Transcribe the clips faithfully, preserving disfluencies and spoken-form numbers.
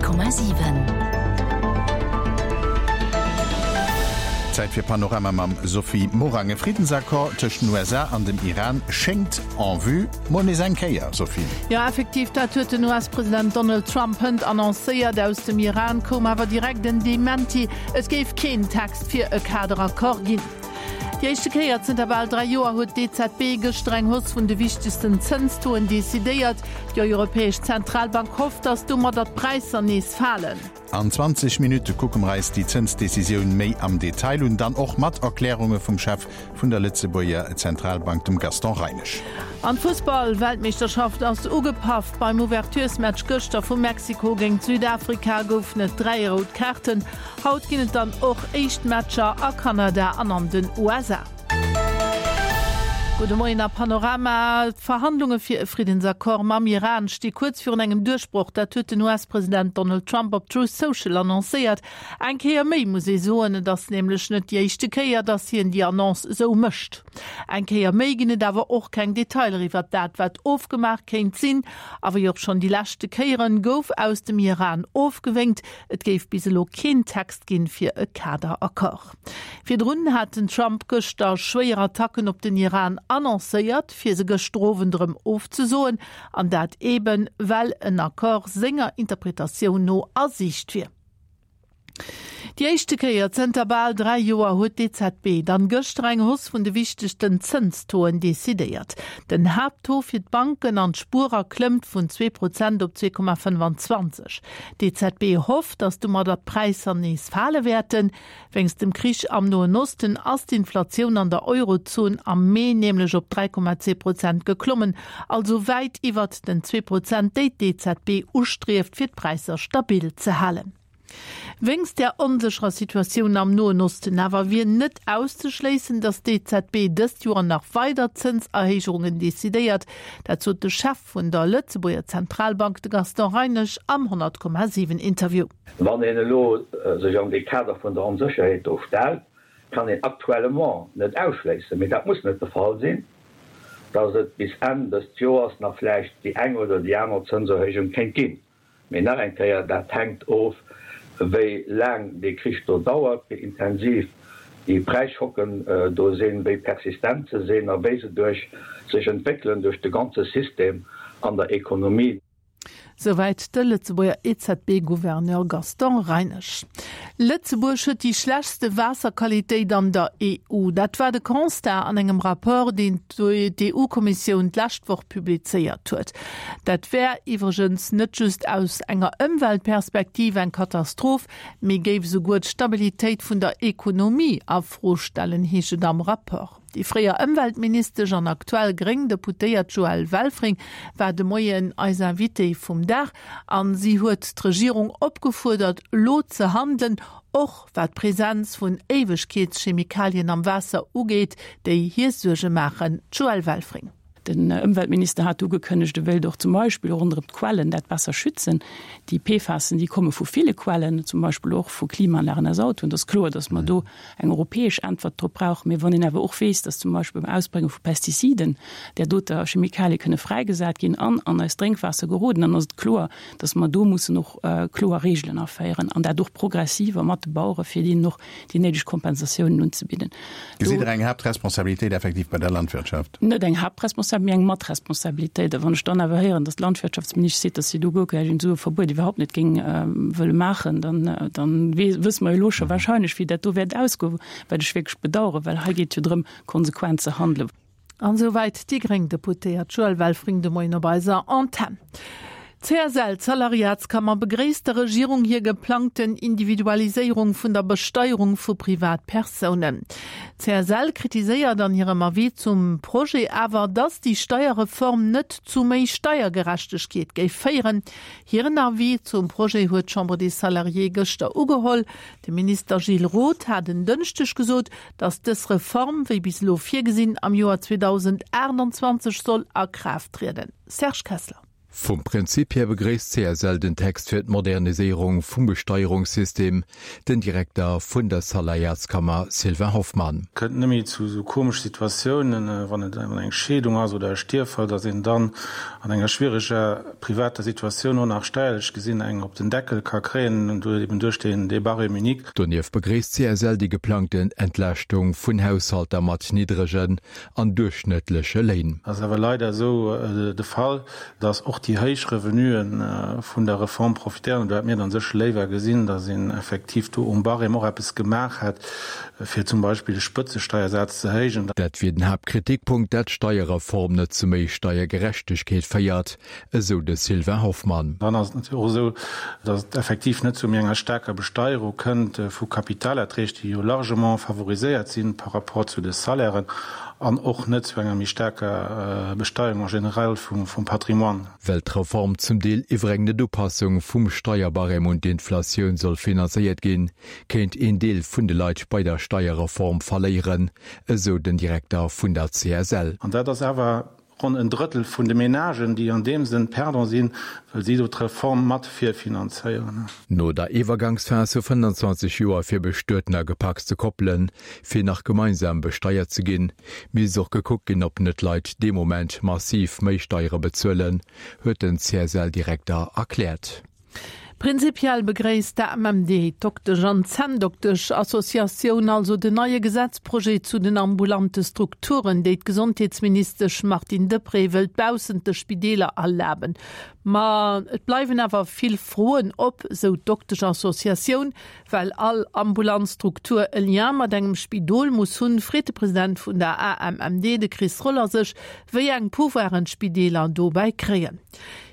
Komma siwen. Zäit fir Panorama mam Sophie Morang. E Friddensaccord tëscht den U S A an dem Iran schéngt en vue. Mol nees eng Kéier, Sophie. Jo, effektiv, dat huet den U S-President Donald Trump hënt annoncéiert. Aus dem Iran koum awer direkt en Dementi, et géif keen Text fir e Kaderaccord ginn. Déi éischte Kéier zënter bal dräi Joer huet d'E Z B gëschter eng Hausse vun de wichtegsten Zënstoen decidéiert. Déi Europäesch Zentralbank hofft, datt domadder d'Präisser nees falen. An zwanzeg Minutte kucke mer eis déi Zënsdecisioun méi am Detail un, dann och mat Erklärunge vum Chef vun der Lëtzebuerger Zentralbank, dem Gaston Reinesch. An d'Fussball-Weltmeeschterschaft ass ugepaff. Beim Ouverturesmatch gëschter vu Mexiko géint Südafrika goufen et dräi rout Kaarten. Haut ginn et dann och éischt Matcher a Kanada an an den U S A. Gudde Moien a Panorama. D'Verhandlunge fir e Friddensaccord mam Iran sti kuerz virun engem Duerchbroch. Dat huet den U S-President Donald Trump op Truth Social annoncéiert. Eng Kéier méi muss ee soen, et ass nämlech net déi éischte Kéier, datt hien déi Annonce esou mécht. Eng Kéier méi ginn et awer och keng Detailer iwwer dat, wat ofgemaach kéint sinn. A wéi och schonn déi leschte Kéieren gouf aus dem Iran ofgewénkt. Et géif bis elo keen Text ginn fir e Kaderaccord. Virdrun hat den Trump gëschter schwéier Attacken op den Iran annoncéiert, fir se gëschter Owend erëm ofzesoen, an dat eben, well en Accord senger Interpretatioun no a Siicht wier. Déi éischte Kéier zënter bal dräi Joer huet d'E Z B dann gëschter eng Hausse vun de wichtegsten Zënstoen decidéiert. Den Haapttaux fir d'Banken an d'Spuerer klëmmt vun zwee Prozent op zwee Komma fënnwanzwanzeg. D'E Z B hofft, datt domadder d'Präisser nees fale wäerten. Wéinst dem Krich am Noen Osten ass d'Inflatioun an der Eurozon am Mee nämlech op dräi Komma zwee Prozent geklommen, also wäit iwwer den zwee Prozent, déi d'E Z B ustrieft, fir d'Präisser stabil ze halen. Wéinst der onsécherer Situatioun am Noen Osten awer wier net auszeschléissen, datt d'E Z B dëst Joer nach weider Zënserhéijungen decidéiert. Dat sot de Chef vun der Lëtzebuerger Zentralbank, de Gaston Reinesch, am honnert Komma siwen Interview. Wann een elo sech an de Kader vun der Onsécherheet do stellt, kann een aktuellement net ausschléissen, mee dat muss net de Fall sinn, datt et bis Enn des Joers nach vläicht déi eng oder déi aner Zënserhéijung kéint ginn. Mee nach eng Kéier, dat hänkt of, wéi laang dee Krich do dauert, wéi intensiv déi Präisschocken do sinn, wéi persistent se sinn a wéi se duerch sech entwéckelen duerch de ganze System an der Ekonomie. Soweit de Lëtzebuerger E Z B-Gouverneur Gaston Reinesch. Lëtzebuerg huet déi schlechtste Waasserqualitéit an der E U. Dat war de Constat an engem Rapport, deen d'E U-Kommissioun d'lescht Woch publizéiert huet. Dat wär iwwregens net just aus enger Ëmweltperspektiv eng Katastroph, mee géif esouguer d'Stabilitéit vun der Ekonomie a Fro stellen, heescht et am Rapport. Déi fréier Ëmweltministesch an aktuell gréng Deputéiert Joëlle Welfring war de Moien eis Invité vum Dag an si huet d'Regierung opgefuerdert, lo ze handeln, och wat d'Präsenz vun Éiwegkeetschemikalien am Waasser ugeet, déi hir Suerge maachen. Joëlle Welfring. Den Ëmweltminister hat ugekënnegt, e wéilt och zum Beispill ronderëm d'Quellen dat besser schützen. Déi P F A Sen, déi komme vu ville Quellen, zum Beispill och vu Klimaanlagen aus Autoen. Dat ass kloer, datt mer do eng europäesch Äntwert drop brauchen. Mee wann een awer och weess, datt zum Beispill beim Ausbrénge vu Pestiziden där doter Chemikalie kënne fräigesat ginn an an eist Drénkwaasser geroden, dann ass et kloer, datt mer do mussen och kloer Regeln aféieren an dat och progressiver mat de Bauere fir déi noch déi néideg Kompensatiounen unzebidden. Gesitt Der eng Haaptresponsabilitéit effektiv bei der Landwirtschaft? Net eng Haaptresponsabilitéit, mee eng Matresponsabilitéit. A wann ech dann awer héieren, datt d'Landwirtschaftsministesch seet, datt si do guer keng esou e Verbuet iwwerhaupt net géing wëlle maachen, dann, dann we-, wësse mer elo scho wahrscheinlech, wéi dat do wäert ausgoen, wat ech wierklech bedauere, well hei geet jo drëm, konsequent ze handelen. An soweit déi gréng Deputéiert Joëlle Welfring de Moien op eiser Antenn. C S L, d'Salariatskammer, begréisst der Regierung hir geplangten Individualiséierung vun der Besteuerung vu Privatpersounen. C S L kritiséiert an hirem Avis zum Projet awer, datt déi Steierreform net zu méi Steiergerechtegkeet géif féieren. Hiren Avis zum Projet huet d'Chambre des Salariés gëschter ugeholl. De Minister Gilles Roth hat en Dënschdeg gesot, datt dës Reform, wéi bis elo virgesinn, am Joer zweedausendachtundzwanzeg soll a Kraaft trieden. Serge Kessler. Vum Prinzip hier begréisst d'CSL den Text fir d'Moderniséierung vum Besteierungssystem, den Direkter vun der Salariatskammer Sylvain Hoffmann. Kënnt net méi zu esou komesche Situatiounen, wann et eng Scheedung ass oder e Stierffall, datt een dann an enger schwiereger privater Situatioun och nach steierlech gesinn eng op den Deckel ka kréien, eben duerch dee Barème unique. Donieft begréisst d'CSL déi geplangten Entlaaschtung vun Haushalter mat niddregen an duerchschnëttleche Léin. Et ass awer leider esou de Fall, datt och déi héich Revenue vun der Reform profitéieren. Do hätt mir dann sécher léiwer gesinn, datt een effektiv do um Barème och eppes gemaach hätt, fir zum Beispill de Spëtzesteiersaz ze héijen. Dat wier den Haaptkritikpunkt, dat d'Steierreform net zu méi Steiergerechtegkeet féiert, esou de Sylvain Hoffmann. Dann ass et natierlech och esou, datt et effektiv net zu méi enger staarker Besteierung kënnt vu Kapitalerträg, déi jo largement favoriséiert si par rapport zu de Salairen, an och net zu enger méi staarker Besteierung en général vum Patrimoine. Well d'Reform zum Deel iwwer eng Net-Upassung vum Steierbarème un d'Inflatioun soll finanzéiert ginn, kéint een Deel vun de Leit bei der Steierreform verléieren, esou den Direkter vun der CSL. An dat ass awer ronn en Drëttel vun de Menagen, déi an deem Sënn Perdant sinn, well si do d'Reform mat virfinanzéieren. No der Iwwergangsphas vu fënnanzwanzeg Joer fir Bestueten a gepacste Koppelen, fir nach gemeinsam besteiert ze ginn, misst och gekuckt ginn, ob net Leit dee Moment massiv méi Steiere bezuelen, huet den C S L-Direkter erkläert. Prinzipiell begréisst d'A M M D, d'Doktesch an Zänndoktesch-Associatioun, also den neie Gesetzprojet zu den ambulante Strukturen, déi d'Gesondheetsministesch Martine Deprez wëllt baussent de Spideeler erlaben. Ma et bleiwen awer vill Froen op, sou d'Doktesch-Associatioun. Well all ambulant Struktur e Lien mat engem Spidol muss hunn, freet de President vun der A M M D, de Chris Roller, sech, wéi eng Pouvoiren d'Spideeler dobäi kréien.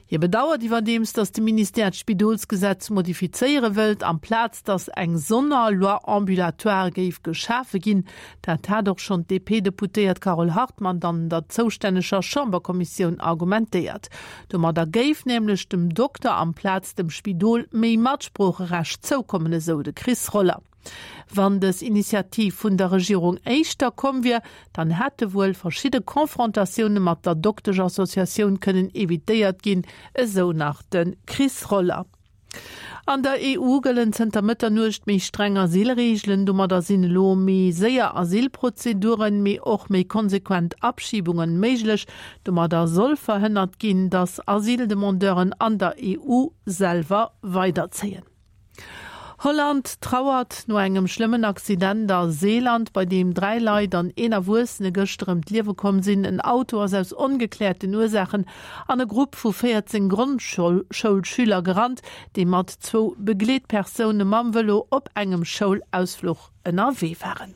Hie bedauert iwwerdeems, datt de Ministère d'Spidolsgesetz modifizéiere wëllt, amplaz datt eng Sonner-Loi ambulatoire géif geschafe ginn. Dat hat och schonn d'D P-Deputéiert Carole Hartmann an der zoustänneger Chamberkommissioun argumentéiert. Domadder géif nämlech dem Dokter amplaz dem Spidol méi Matsproocherecht zoukommen, esou de Chris Roller. Wann dës Initiativ vun der Regierung éischter komm wier, dann hätte wuel verschidde Konfrontatioune mat der Dokteschassociatioun kënnen evitéiert ginn, esou nach de Chris Roller. An der E U gëllen zënter Mëtternuecht méi streng Asylreegelen. Domadder sinn elo méi séier Asylprozeduren, mee och méi konsequent Abschiebungen méiglech. Domadder soll verhënnert ginn, datt Asyldemandeuren an der E U selwer weiderzéien. Holland trauert no engem schlëmmen Accident a Seeland, bei deem dräi Leit an een Erwuessene gëschter ëm d'Liewe komm sinn. En Auto ass aus ongekläerten Ursaachen an e Grupp vu véierzéng Grondschoulschüler gerannt, déi mat zwou Begleetpersoune mam Vëlo op engem Schoulausfluch ënnerwee waren.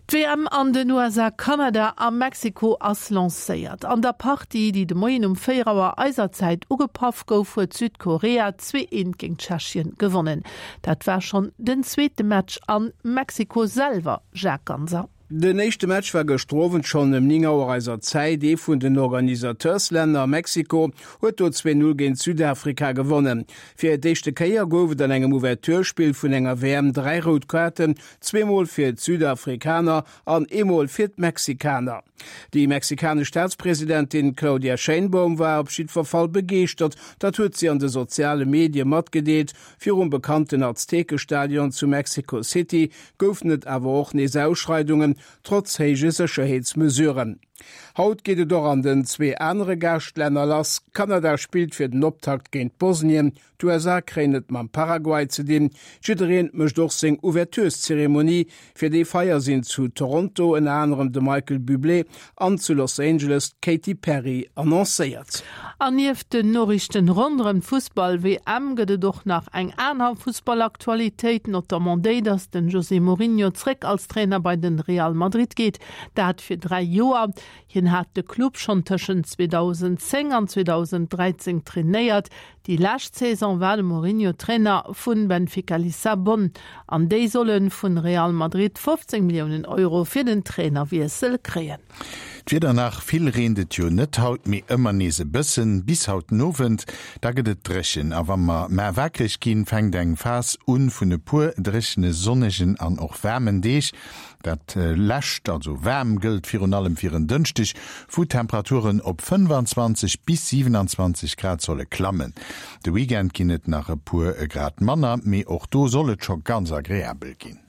D'W M an den U S A, Kanada a Mexiko ass lancéiert. An der Partie, déi de Moien um véier Auer eiser Zäit ugepaff gouf, huet Südkorea zwee eent géint Tschechien gewonnen. Dat war schonn den zweete Match a Mexiko selwer, Jacques Ganser. Den éischte Match war gëschter Owend schonn ëm néng Auer eiser Zäit. Ee vun den Organisateurs-Länner, Mexiko, huet do zwee Null géint Südafrika gewonnen. Fir d'éischte Kéier gouf et an engem Ouverturespill vun enger W M dräi rout Kaarten, zweemol fir d'Südafrikaner an eemol fir d'Mexikaner. Déi mexikanesch Staatspresidentin Claudia Sheinbaum war op jiddwer Fall begeeschtert, dat huet si an de soziale Medie matgedeelt. Virum bekannten Aztekestadion zu Mexico City goufen et awer och nees Ausschreidungen, trotz héije Sécherheetsmesuren. Haut geet et och an den zwee anere Gaaschtlänner lass. Kanada spillt fir den Optakt géint Bosnien, d'U S A kréien et mam Paraguay ze dinn. Jiddereen mécht och seng Ouvertureszeremonie. Fir déi Feier sinn zu Toronto ënner anerem de Michael Bublé an zu Los Angeles d'Katy Perry annoncéiert. An nieft den Noriichten ronderëm d'Fussball-W M gëtt et och nach eng aner Fussballaktualitéit, notamment déi, datt den José Mourinho zréck als Trainer bei den Real Madrid geet, dat fir dräi Joer. Hien hat de Club schonn tëschent zweedausendzéng an zweedausendräizéng trainéiert. Déi lescht Saison war de Mourinho Trainer vun Benfica Lissabon. An déi solle vun Real Madrid fofzéng Milliounen Euro fir den Trainerwiessel kréien. D'Wieder nach, Vill reent et jo net haut, mee ëmmer nees e bëssen. Bis haut den Owend, da gëtt et dréchen a wa mer mar wakereg ginn, fänkt eng Phas un vun e puer dréchene, sonnegen an och waarmen Deeg. Dat lescht, also waarm, gëllt virun allem fir en Dënschdeg, wou d'Temperaturen op fënnefanzwanzeg bis siwenanzwanzeg Grad solle klammen. De Weekend ginn et nach e puer Grad manner, mee och do soll et scho ganz agreabel ginn.